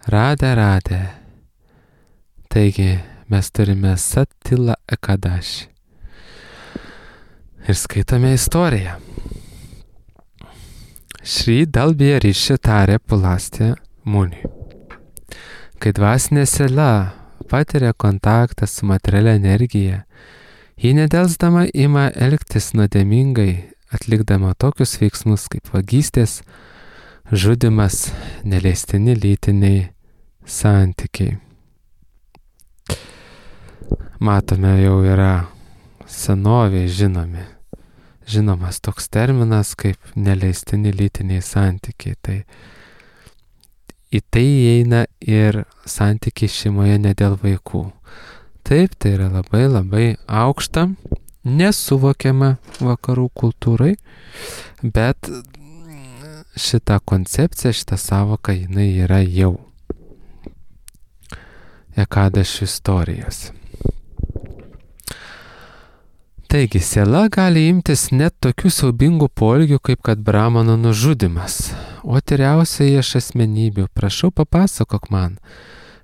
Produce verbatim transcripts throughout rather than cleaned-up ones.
Radė, radė. Taigi mes turime Satila Ekadaši. Ir skaitome istoriją. Šri Dalbija Riši tarė Pulastė Muniui. Kai dvasinė siela patiria kontaktą su materialia energija, ji nedelsdama ima elgtis nuodėmingai, atlikdama tokius veiksmus kaip vagystės, žudimas, neleistini lytiniai santykiai. Matome, jau yra senoviai žinomi. Žinomas toks terminas kaip neleistini lytiniai santykiai. Tai į tai įeina ir santykiai šeimoje ne dėl vaikų. Taip, tai yra labai labai aukšta, nesuvokiama vakarų kultūrai, bet šita koncepcija, šita savoka, jinai yra jau Ekadašių istorijos. Taigi, siela gali imtis net tokių siaubingų poelgių, kaip kad Brahmano nužudimas. O tyriausiai iš asmenybių, prašau papasakok man,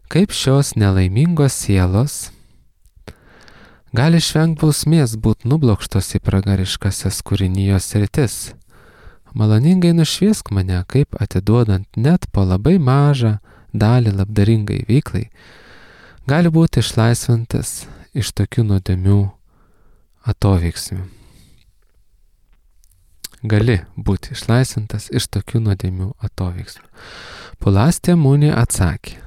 kaip šios nelaimingos sielos gali išvengti bausmės būt nublokštos į pragariškasias kūrinijos sritis. Maloningai nušviesk mane, kaip atiduodant net po labai mažą dalį labdaringai veiklai, gali būti išlaisvintas iš tokių nuodėmių atoveiksmių. Gali būti išlaisvintas iš tokių nuodėmių atoveiksmių. Pulastė Muniui atsakė,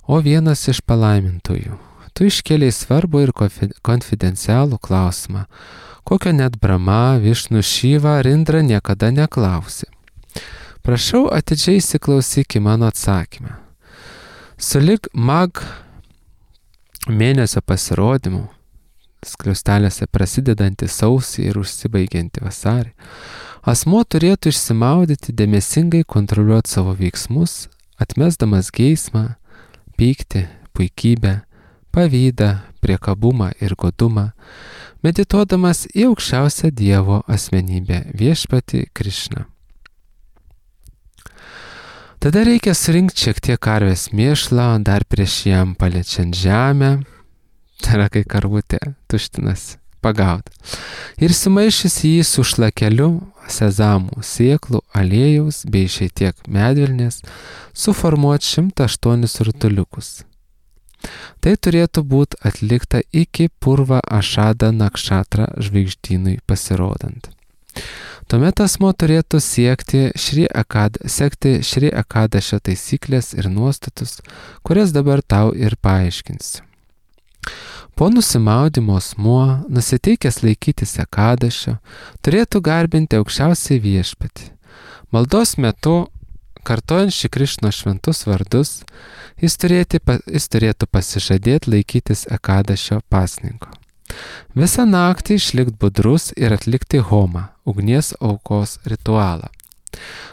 o vienas iš palaimintųjų, tu iškėlei svarbų ir konfidencialų klausimą, kokio net Brahma, Višnu, Šiva ar Indra niekada neklausė. Prašau, atidžiai įsiklausyk į mano atsakymą. Sulig mag mėnesio pasirodymų, skliaustelėse prasidedantį sausį ir užsibaigiantį vasarį, asmuo turėtų išsimaudyti, dėmesingai kontroliuoti savo veiksmus, atmesdamas geismą, pyktį, puikybę, pavydą, priekabumą ir godumą, medituodamas į aukščiausią Dievo asmenybę viešpatį Krišną. Tada reikia surinkti šiek tiek karvės mėšlo, dar prieš jam paliečiant žemę, tai yra kai karvutė tuštinas, pagauti. Ir sumaišys jį su šlakeliu sezamų, sėklų, aliejaus bei šiek tiek medvilnės, suformuoti šimtą aštuonis rutuliukus. Tai turėtų būti atlikta iki Purva Ašada Nakšatra žvaigždynui pasirodant. Tuomet asmo turėtų siekti Šri Akad, sekti Šri Ekadašio taisyklės ir nuostatus, kurias dabar tau ir paaiškinsiu. Po nusimaudimo asmuo, nusiteikęs laikytis Ekadašio, turėtų garbinti aukščiausiai viešpatį. Maldos metu, kartojant Šri Krišno šventus vardus, jis, turėti, jis turėtų pasižadėti laikytis Ekadašio pasninko. Visą naktį išlikti budrus ir atlikti homą, ugnies aukos ritualą.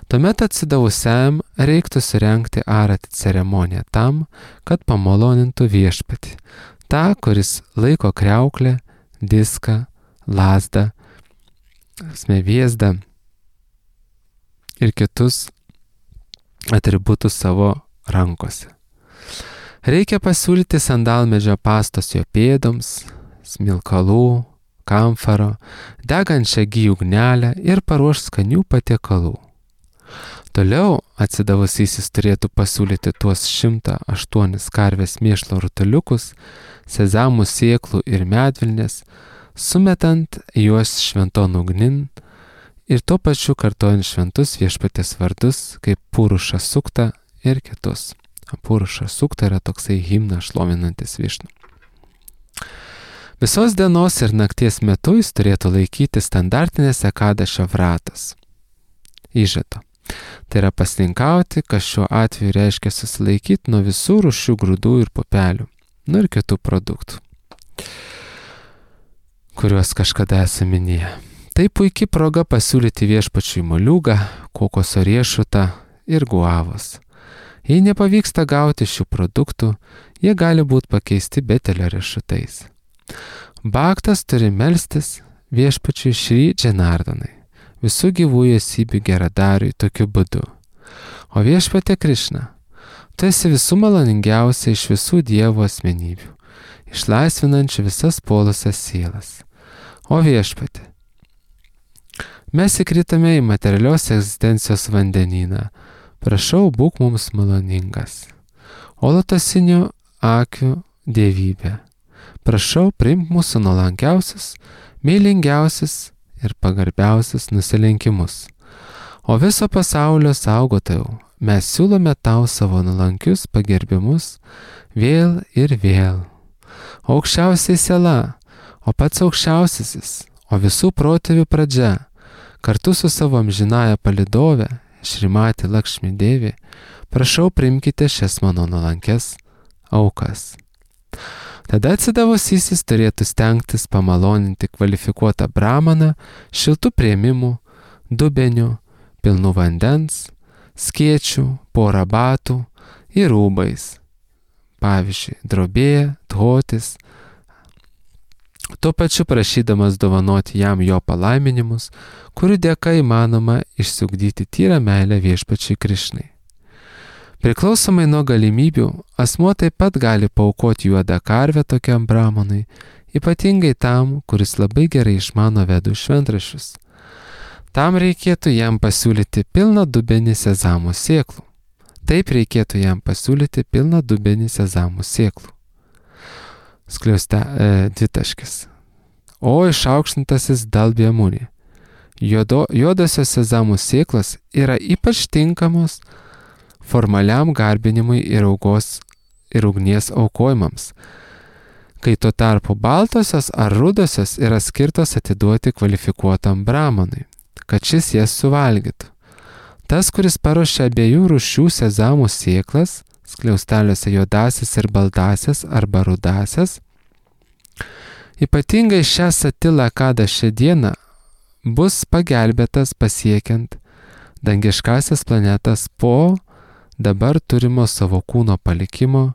Tuomet atsidavusiam reiktų surengti arati ceremoniją tam, kad pamalonintų viešpatį, tą, kuris laiko kriauklę, diską, lazdą, smeviezdą ir kitus atributus savo rankose. Reikia pasiūlyti sandalmedžio pastos jo pėdoms, smilkalų, kamfaro, degančią gyjų ugnelę ir paruoš skanių patiekalų. Toliau atsidavusysis turėtų pasiūlyti tuos šimtą aštuonis karvės mėšlo rutuliukus, sezamų sėklų ir medvilnės, sumetant juos šventon ugnin ir tuo pačiu kartojant šventus viešpaties vardus kaip Puruša Sukta ir kitus. Puruša Sukta yra toksai himnas šlovinantis Višnu. Visos dienos ir nakties metu jis turėtų laikyti standartinės Ekadašio vratas. Įžado. Tai yra pasninkauti, kas šiuo atveju reiškia susilaikyti nuo visų rūšių grūdų ir pupelių, nu ir kitų produktų, kuriuos kažkada esame minėję. Tai puikiai proga pasiūlyti viešpačiui moliūgą, kokoso riešutą ir guavos. Jei nepavyksta gauti šių produktų, jie gali būti pakeisti betelio riešutais. Bhaktas turi melstis viešpačiui Šri Džanardanai, visų gyvųjų esybių geradariui tokiu būdu. O viešpatė Krišna, Tu esi visų maloningiausia iš visų Dievo asmenybių, išlaisvinančių visas puolusias sielas. O Viešpatie, mes įkritame į materialios egzistencijos vandenyną. Prašau, būk mums maloningas. O lotosinių akių dievybė, prašau, priimk mūsų nuolankiausius, meilingiausius ir pagarbiausius nusilenkimus. O viso pasaulio saugotojau, mes siūlome tau savo nuolankius pagerbimus vėl ir vėl. Aukščiausiai siela, o pats aukščiausiasis, o visų protėvių pradžia, kartu su savo amžinąja palidove, Šrimati Lakšmi Devi, prašau, priimkite šias mano nuolankes aukas. Tada atsidavusysis turėtų stengtis pamaloninti kvalifikuotą brahmaną šiltų priėmimų, dubenių, pilnų vandens, skėčių, porą batų ir rūbais. Pavyzdžiui, drobė, dhotis. Tuo pačiu prašydamas dovanoti jam jo palaiminimus, kurių dėka įmanoma išsiugdyti tyrą meilę Viešpačiui Krišnai. Priklausomai nuo galimybių, asmuo taip pat gali paaukoti juodą karvę tokiam brahmanui, ypatingai tam, kuris labai gerai išmano vedų šventraščius. Tam reikėtų jam pasiūlyti pilną dubenį sezamų sėklų. Taip reikėtų jam pasiūlyti pilną dubenį sezamų sėklų. Skliauste e, dvitaškis. O išaukštintasis Dalbjamuni. Juodo, juodosios sezamų sėklos yra ypač tinkamos formaliam garbinimui ir aukos ir ugnies aukojimams, kai tuo tarpu baltosios ar rudosios yra skirtos atiduoti kvalifikuotam brahmanui, kad šis jas suvalgytų. Tas, kuris paruošia abiejų rūšių sezamų sėklas, skliausteliuose juodasis ir baltasis arba rudasias, ypatingai šią satilą kada šią dieną bus pagelbėtas pasiekiant dangiškasias planetas po dabar turimo savo kūno palikimo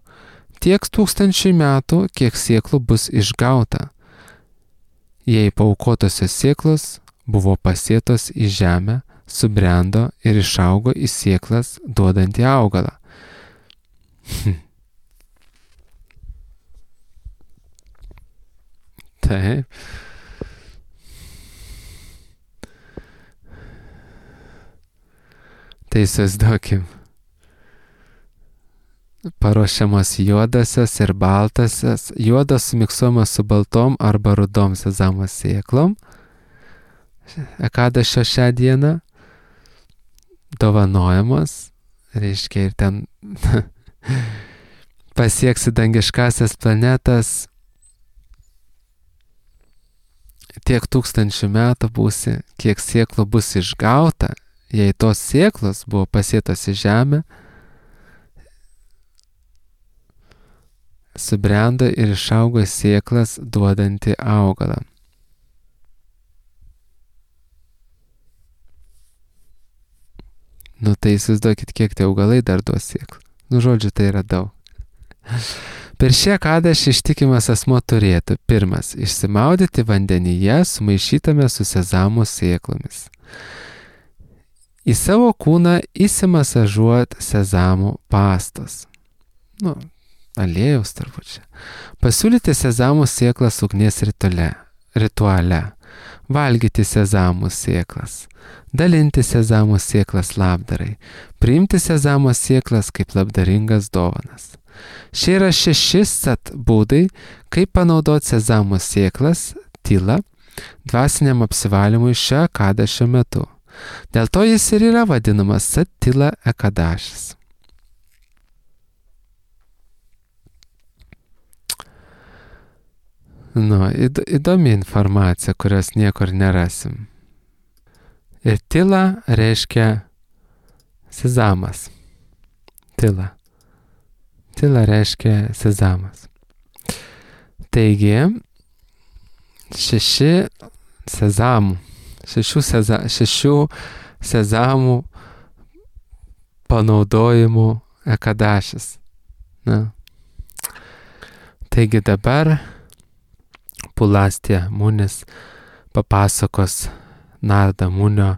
tiek tūkstančiai metų, kiek sėklų bus išgauta, jei paaukotosios sėklos buvo pasėtos į žemę, subrendo ir išaugo į sėklas duodantį augalą. Taip. Tai įsivaizduokim. Paruošiamas juodasios ir baltasios, juodas sumiksuojamas su baltom arba rudom sezamo sėklom. Ekadašio šią dieną dovanojamos, reiškia ir ten pasieksi dangiškasias planetas, tiek tūkstančių metų būsi, kiek sėklų bus išgauta, jei tos sėklos buvo pasėtos į žemę, subrendo ir išaugo sėklas duodantį augalą. Nu tai įsivaizduokit, kiek tie augalai dar duos sėklų. Nu žodžiu, tai yra daug. Per šią kadašį ištikimas asmo turėtų pirmas išsimaudyti vandenyje sumaišytame su sezamų sėklomis. Į savo kūną įsimasažuot sezamų pastos. Nu, aliejaus turbūt čia. Pasiūlyti sezamų sėklas ugnies rituale. rituale. Valgyti sezamų sėklas. Dalinti sezamų sėklas labdarai. Priimti sezamų sėklas kaip labdaringas dovanas. Šie yra šeši sat būdai, kaip panaudoti sezamų sėklas, tyla, dvasiniam apsivalymui šią ekadašio metu. Dėl to jis ir yra vadinamas sat tyla ekadašis. Nu, įdomi informacija, kurios niekur nerasim. Ir tyla reiškia sezamas. Tyla. Tyla reiškia sezamas. Taigi, šeši sezamų, šešių, seza, šešių sezamų panaudojimų ekadašis. Na. Taigi dabar Pulastė Munis papasakos Narda Munio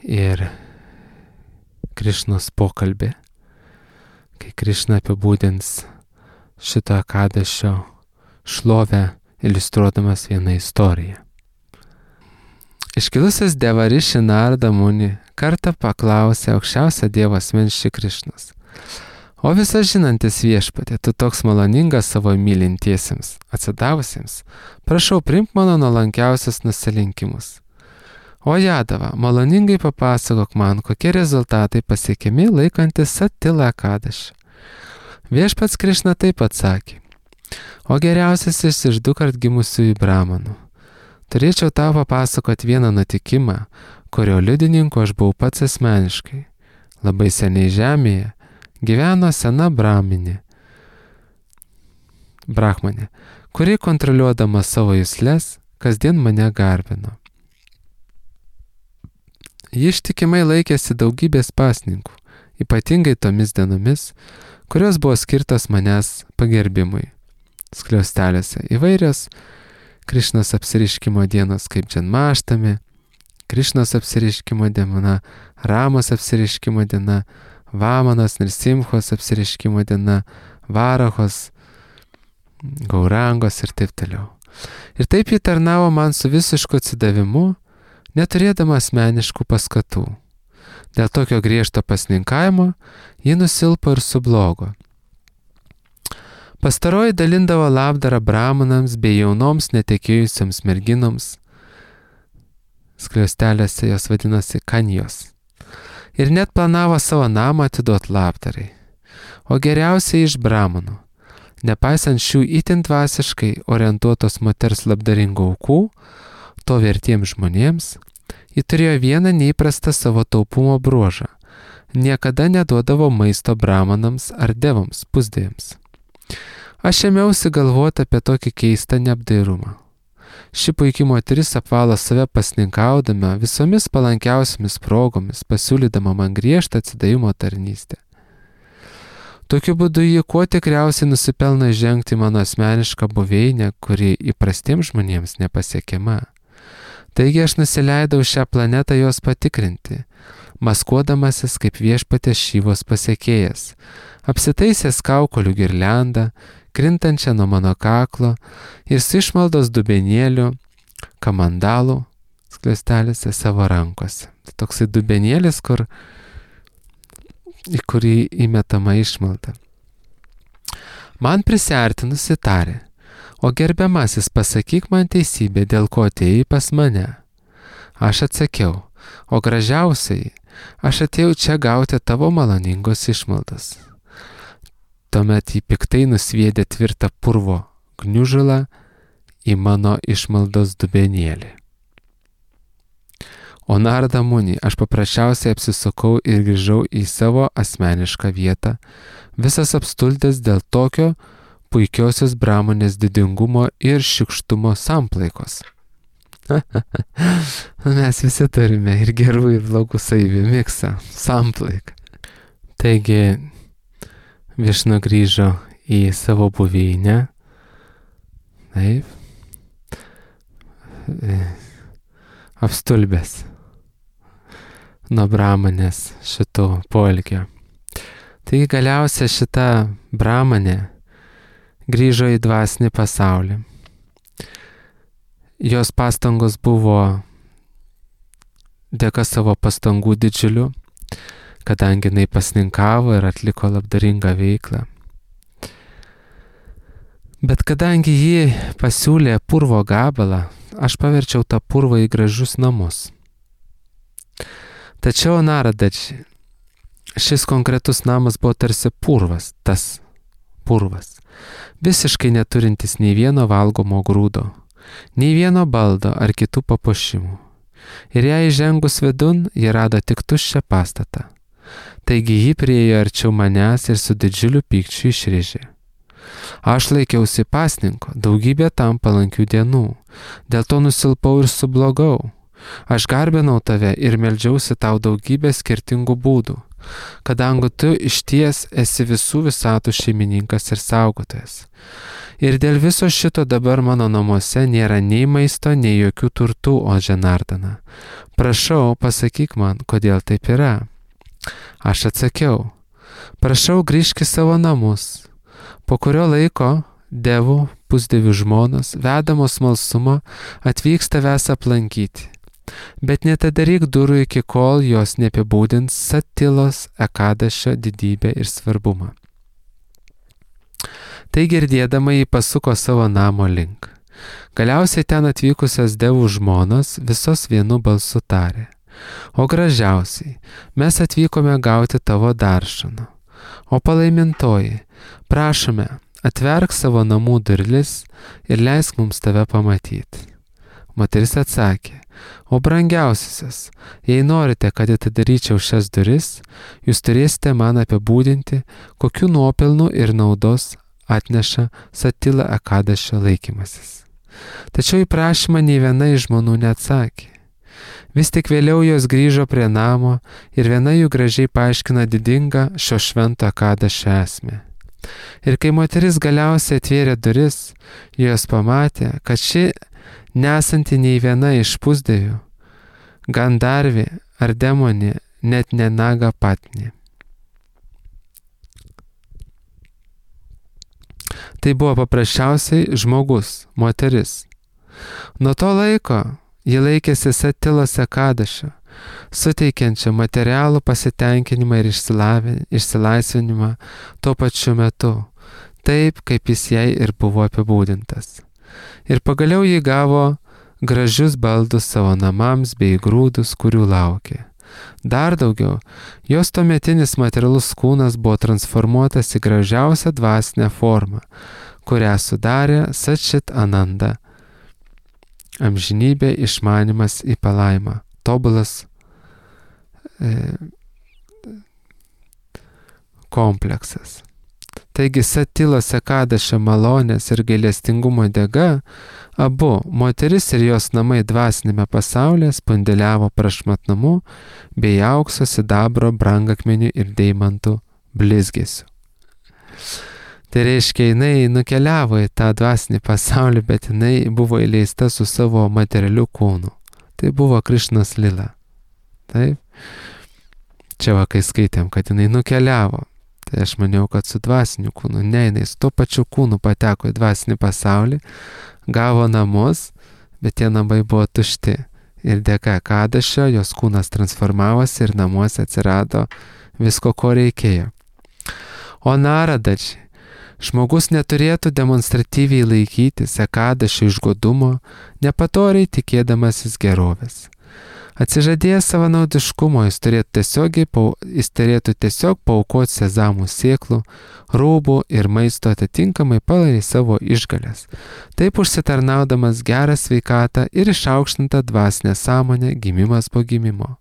ir Krišnos pokalbį, kai Krišna apibūdins šito Ekadašio šlovę, iliustruodamas vieną istoriją. Iškilusias Devariši Narada Muni kartą paklausė aukščiausią Dievo asmens Šri Krišnos: O visas žinantis viešpatie, tu toks maloningas savo mylintiesiems, atsidavusiems, prašau, priimk mano nuolankiausius nusilenkimus. O Jadava, maloningai papasakok man, kokie rezultatai pasiekiami laikantis Satila Ekadašį. Viešpats Krišna taip atsakė: O geriausiasis iš du kart gimusiųjų bramanų. Turėčiau tau papasakoti vieną nutikimą, kurio liudininku aš buvau pats asmeniškai. Labai seniai žemėje gyveno sena braminė, brahmanė, kuri kontroliuodama savo juslės kasdien mane garbino. Ji ištikimai laikėsi daugybės pasninkų, ypatingai tomis dienomis, kurios buvo skirtos manęs pagerbimui. Skliausteliuose įvairios Krišnos apsiriškimo dienos kaip Džanmaštami, Krišnos apsiriškimo diena, Ramos apsiriškimo diena, Vamanos Nirsimchos apsiriškimo diena, Varahos, Gaurangos ir taip toliau. Ir taip ji tarnavo man su visišku atsidavimu, neturėdama asmeniškų paskatų. Dėl tokio griežto pasninkavimo ji nusilpo ir sublogo. Pastaroji dalindavo labdarą bramanams bei jaunoms netekėjusiams merginoms, skliaustelėse jos vadinasi kanjos, ir net planavo savo namą atiduoti labdarai. O geriausiai iš bramanų, nepaisant šių itin dvasiškai orientuotos moters labdaringų aukų, to vertiems žmonėms, ji turėjo vieną neįprastą savo taupumo bruožą. Niekada neduodavo maisto bramanams ar devoms, pusdėjams. Aš ėmiausi galvoti apie tokį keistą neapdairumą. Ši puikiai moteris apvalo save pasninkaudama visomis palankiausiamis progomis, pasiūlydama man griežtą atsidavimo tarnystę. Tokiu būdu ji kuo tikriausiai nusipelno žengti mano asmenišką buveinę, kuri įprastiems žmonėms nepasiekiama. Taigi aš nusileidau šią planetą jos patikrinti, maskuodamasis kaip viešpatės Šyvos pasiekėjas, apsitaisęs kaukolių girliandą, krintančią nuo mano kaklo ir su išmaldos dubenėliu, kamandalų skliaustelėse savo rankose. Tai toksai dubenėlis, kur, į kurį įmetama išmalda. Man prisiartinusi tarė: O gerbiamasis, pasakyk man teisybę, dėl ko atėjai pas mane. Aš atsakiau: O gražiausiai, aš atėjau čia gauti tavo maloningos išmaldos. Tuomet jį piktai nusviedė tvirtą purvo gniužulą į mano išmaldos dubenėlį. O Narada Muni, aš paprasčiausiai apsisukau ir grįžau į savo asmenišką vietą, visas apstultęs dėl tokio puikiosios bramonės didingumo ir šykštumo samplaikos. Mes visi turime ir gerų, ir blogų savybių miksą, samplaiką. Taigi, Višnu grįžo į savo buveinę, taip, apstulbęs nuo bramanės šito poelgio. Taigi galiausiai šita bramanė grįžo į dvasinį pasaulį. Jos pastangos buvo dėka savo pastangų didžiulių, kadangi jinai pasninkavo ir atliko labdaringą veiklą. Bet kadangi ji pasiūlė purvo gabalą, aš paverčiau tą purvą į gražius namus. Tačiau Naradaji, šis konkretus namas buvo tarsi purvas, tas purvas, visiškai neturintis nei vieno valgomo grūdo, nei vieno baldo ar kitų papuošimų. Ir jai įžengus vidun, ji rado tik tuščią pastatą. Taigi ji priejo arčiau manęs ir su didžiuliu pykčiu išrėžė: Aš laikiausi pasninko daugybę tam palankių dienų, dėl to nusilpau ir sublogau. Aš garbinau tave ir meldžiausi tau daugybę skirtingų būdų, kadangi tu išties esi visų visatų šeimininkas ir saugotojas. Ir dėl viso šito dabar mano namuose nėra nei maisto, nei jokių turtų, o Džanardana. Prašau, pasakyk man, kodėl taip yra. Aš atsakiau: prašau grįžk į savo namus. Po kurio laiko devų, pusdevių žmonos, vedamos smalsumo, atvyks tavęs aplankyti. Bet netadaryk durų iki kol jos neapibūdins Satilos Ekadašio didybę ir svarbumą. Tai girdėdama jį pasuko savo namo link. Galiausiai ten atvykusios devų žmonos visos vienu balsu tarė: O gražiausiai, mes atvykome gauti tavo daršano. O palaimintoji, prašome, atverk savo namų durlis ir leisk mums tave pamatyti. Moteris atsakė: O brangiausiasis, jei norite, kad atidaryčiau šias duris, jūs turėsite man apibūdinti, kokiu nuopelnu ir naudos atneša Satila Ekadašio laikymasis. Tačiau į prašymą nei viena iš žmonų neatsakė. Vis tik vėliau jos grįžo prie namo ir viena jų gražiai paaiškina didingą šio švento Ekadašio esmę. Ir kai moteris galiausiai atvėrė duris, jos pamatė, kad ši nesanti nei viena iš pusdevių, Gandarvė ar demonė, net ne Naga Patni. Tai buvo paprasčiausiai žmogus, moteris. Nuo to laiko ji laikėsi Satilos Ekadašio, suteikiančią materialų pasitenkinimą ir išsilaisvinimą tuo pačiu metu, taip kaip jis jai ir buvo apibūdintas. Ir pagaliau ji gavo gražius baldus savo namams bei grūdus, kurių laukė. Dar daugiau, jos tuometinis materialus kūnas buvo transformuotas į gražiausią dvasinę formą, kurią sudarė Satčit Ananda. Amžinybė, išmanimas į palaimą, tobulas e, kompleksas. Taigi Satilos Ekadašio malonės ir gailestingumo dėka abu, moteris ir jos namai dvasinėme pasaulyje, spundeliavo prašmatnumu bei aukso, sidabro, brangakmenių ir deimantų blizgesiu. Tai reiškia, jinai nukeliavo į tą dvasinį pasaulį, bet jinai buvo įleista su savo materialiu kūnu. Tai buvo Krišnos lila. Taip? Čia va, kai skaitėm, kad jinai nukeliavo. Tai aš maniau, kad su dvasiniu kūnu. Ne, jinai su to pačiu kūnu pateko į dvasinį pasaulį, gavo namus, bet tie namai buvo tušti. Ir dėka Ekadašio jos kūnas transformavosi ir namuose atsirado visko, ko reikėjo. O Naradačiai, žmogus neturėtų demonstratyviai laikytis Ekadašio išgodumo, nepatoriai tikėdamasis gerovės. Atsižadėjęs savanaudiškumo, jis turėtų tiesiog, jis turėtų tiesiog paaukoti sezamų sėklų, rūbų ir maisto atitinkamai pagal savo išgalės, taip užsitarnaudamas gerą sveikatą ir išaukštintą dvasinę sąmonę gimimas po gimimo.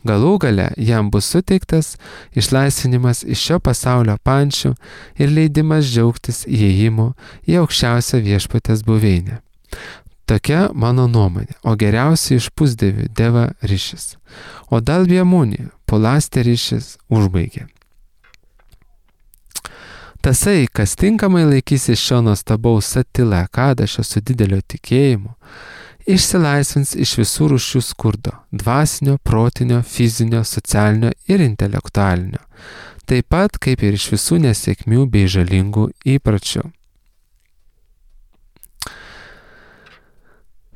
Galų gale jam bus suteiktas išlaisvinimas iš šio pasaulio pančių ir leidimas džiaugtis įėjimu į aukščiausią viešpatės buveinę. Tokia mano nuomonė, o geriausiai iš pusdevių Deva Rišis. O Dalbjamuni, Pulastė Rišis užbaigė. Tasai, kas tinkamai laikysis šio nuostabaus Satila Ekadašio su dideliu tikėjimu, išsilaisvins iš visų rūšių skurdo – dvasinio, protinio, fizinio, socialinio ir intelektualinio, taip pat kaip ir iš visų nesėkmių bei žalingų įpročių.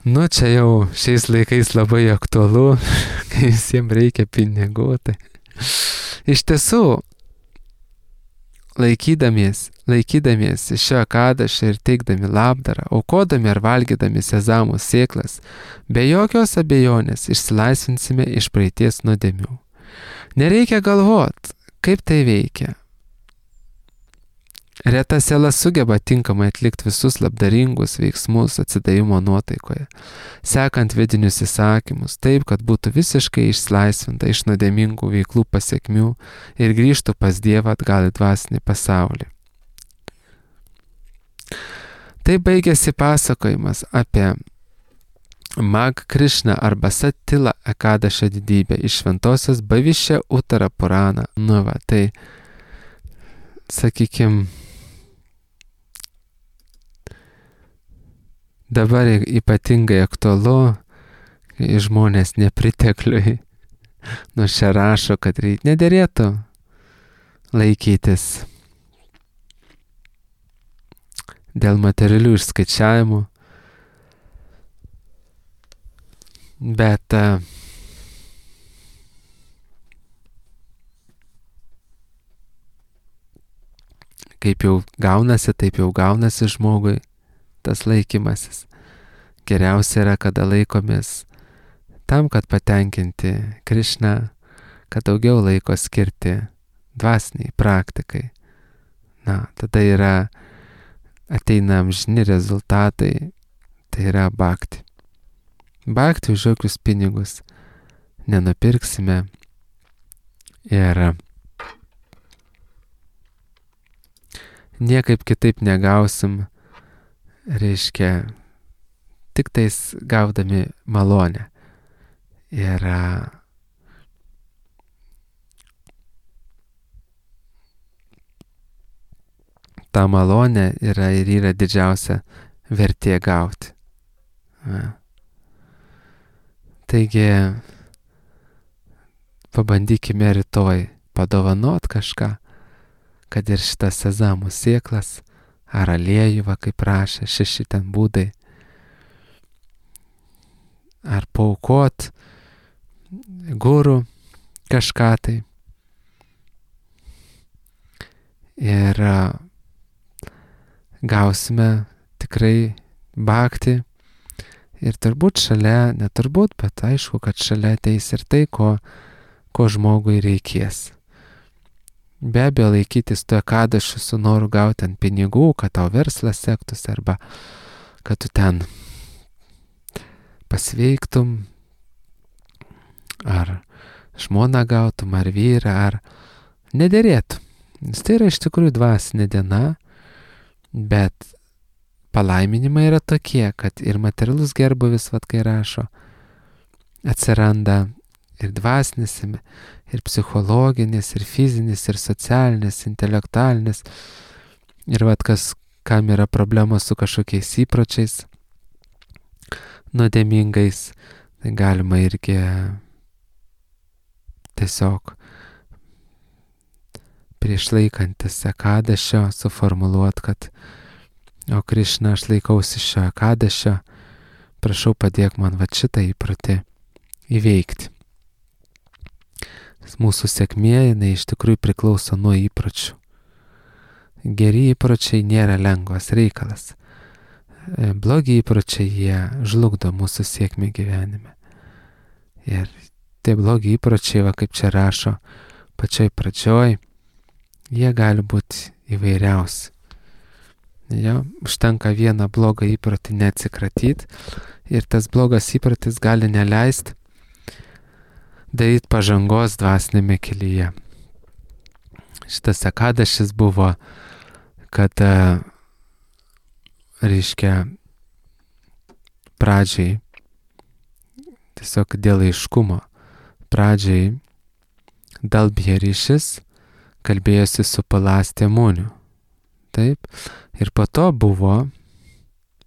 Nu, čia jau šiais laikais labai aktualu, kai visiems reikia pinigų. Tai. Iš tiesų, laikydamies, laikydamies šio Ekadašio ir teikdami labdarą, aukodami ar valgydami sezamų sėklas, be jokios abejonės išsilaisvinsime iš praeities nuodėmių. Nereikia galvot, kaip tai veikia. Reta siela sugeba tinkamai atlikti visus labdaringus veiksmus atsidavimo nuotaikoje, sekant vidinius įsakymus, taip, kad būtų visiškai išlaisvinta iš nuodėmingų veiklų pasekmių ir grįžtų pas Dievą atgal į dvasinį pasaulį. Tai baigėsi pasakojimas apie Mag Krišną arba Satila Ekadašio didybę iš šventosios Bavišė Uttara Purana. Nu va, tai, sakykim, dabar ypatingai aktualu, kai žmonės nepritekliui, nu čia rašo, kad nederėtų laikytis dėl materialių išskaičiavimų, bet kaip jau gaunasi, taip jau gaunasi žmogui tas laikymasis. Geriausia yra, kada laikomės tam, kad patenkinti Krišną, kad daugiau laiko skirti dvasiniai praktikai. Na, tada yra, ateina amžini rezultatai, tai yra bhakti. Bhakti už jokius pinigus nenupirksime ir niekaip kitaip negausim, reiškia, tik tais gaudami malonę. Ir ta malonė yra ir yra didžiausia vertė gauti. Na. Taigi, pabandykime rytoj padovanot kažką, kad ir šitas sezamų sėklas, ar aliejų, va, kaip prašė, šeši ten būdai, ar paaukot gurų kažką tai. Ir gausime tikrai bhakti. Ir turbūt šalia, neturbūt, bet aišku, kad šalia ateis ir tai, ko, ko žmogui reikės. Be abejo, laikytis to ekadašių su noru gauti ant pinigų, kad tau verslas sektųsi, arba kad tu ten pasveiktum, ar žmoną gautum, ar vyrą, ar nederėtų. Nes tai yra iš tikrųjų dvasinė diena, bet palaiminimai yra tokie, kad ir materialus gerbuvis, vat kai rašo, atsiranda ir dvasinis, ir psichologinis, ir fizinis, ir socialinis, intelektualinis. Ir vat kas, kam yra problemos su kažkokiais įpročiais nuodėmingais, tai galima irgi tiesiog prieš laikantis ekadašio suformuluot, kad o Krišna, aš laikausi šio ekadašio, prašau padėk man va šitą įprotį įveikti. Mūsų sėkmė, jinai iš tikrųjų priklauso nuo įpročių. Geri įpročiai nėra lengvas reikalas. Blogi įpročiai, jie žlugdo mūsų sėkmę gyvenime. Ir tie blogi įpročiai, va kaip čia rašo pačioj pradžioj, jie gali būti įvairiausi. Jo, užtenka vieną blogą įprotį neatsikratyti ir tas blogas įprotis gali neleisti daryti pažangos dvasinėme kelyje. Šitas ekadašis buvo, kad reiškia pradžiai, tiesiog dėl aiškumo, pradžiai Dalbjeryšis kalbėjosi su Palastė Muniu. Taip, ir po to buvo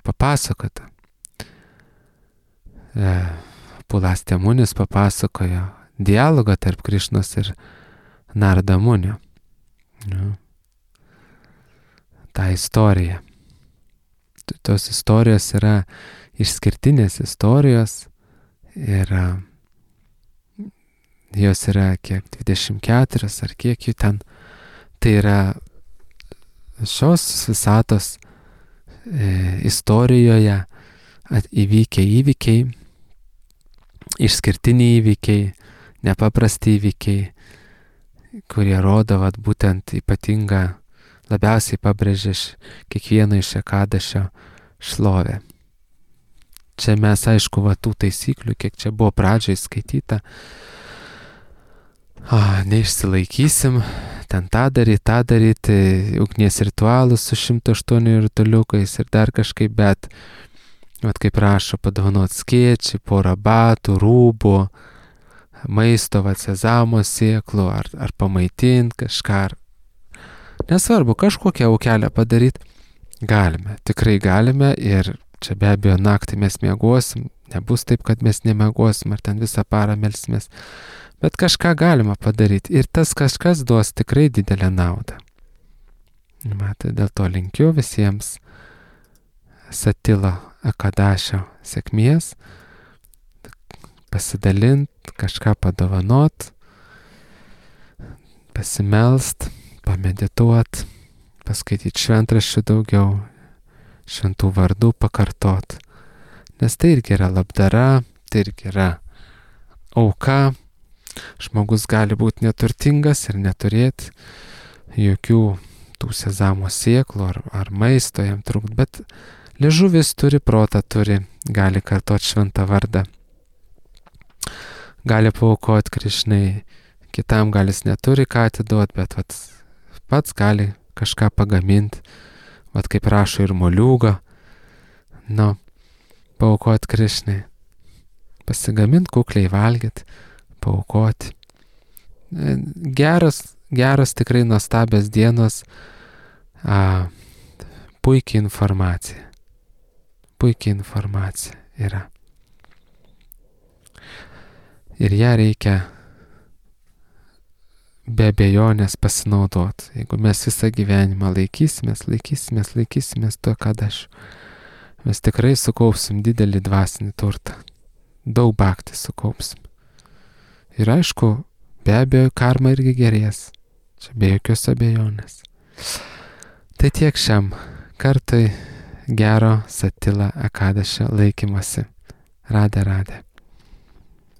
papasakota. E, Palastė Munis papasakojo dialogą tarp Krišnos ir Narada Munio. Nu, tą istoriją. Tos istorijos yra išskirtinės istorijos ir jos yra kiek dvidešimt keturios ar kiek jų ten. Tai yra šios visatos e, istorijoje įvykę įvykiai, išskirtiniai įvykiai, nepaprasti įvykiai, kurie rodo vat, būtent ypatingą, labiausiai pabrėžia kiekvieno iš ekadašio šlovę. Čia mes, aišku, va, tų taisyklių, kiek čia buvo pradžiai skaityta, o, neišsilaikysim, ten tą daryti, tą daryti, ugnies ritualus su šimtu aštuoniu rutuliukais ir dar kažkaip, bet, vat kaip rašo, padovanot skėčių, porą batų, rūbų, maisto, vat sezamo sėklų, ar, ar pamaitint kažką, ar nesvarbu, kažkokią aukelę padaryti, galime, tikrai galime ir čia be abejo naktį mes miegosim, nebus taip, kad mes nemiegosim, ar ten visą parą melsimės, Bet kažką galima padaryti ir tas kažkas duos tikrai didelę naudą. Matai, dėl to linkiu visiems Satila Ekadašio sėkmės, pasidalint, kažką padovanot, pasimelst, pamedituot, paskaityti šventraščių daugiau, šventų vardų pakartot. Nes tai irgi yra labdara, tai irgi yra auka. Žmogus gali būti neturtingas ir neturėti jokių tų sezamo sėklų ar, ar maisto jam trūkt, bet liežuvis turi, protą turi, gali kartot šventą vardą, gali paaukoti Krišnai, kitam gal jis neturi ką atiduoti, bet vat, pats gali kažką pagaminti, vat kaip rašo ir moliūgą, nu, paaukoti Krišnai, pasigaminti, kukliai valgyti, paaukoti. Geras, geras tikrai nuostabios dienos, a, puikiai informacija. Puikiai informacija yra. Ir ją reikia be abejonės pasinaudoti. Jeigu mes visą gyvenimą laikysimės, laikysimės, laikysimės to, kad aš, mes tikrai sukaupsim didelį dvasinį turtą. Daug bhakti sukaupsim. Ir aišku, be abejo, karma irgi gerės. Čia be jokios abejonės. Tai tiek šiam kartui gero Satila Ekadašio laikymasi. Radė, radė.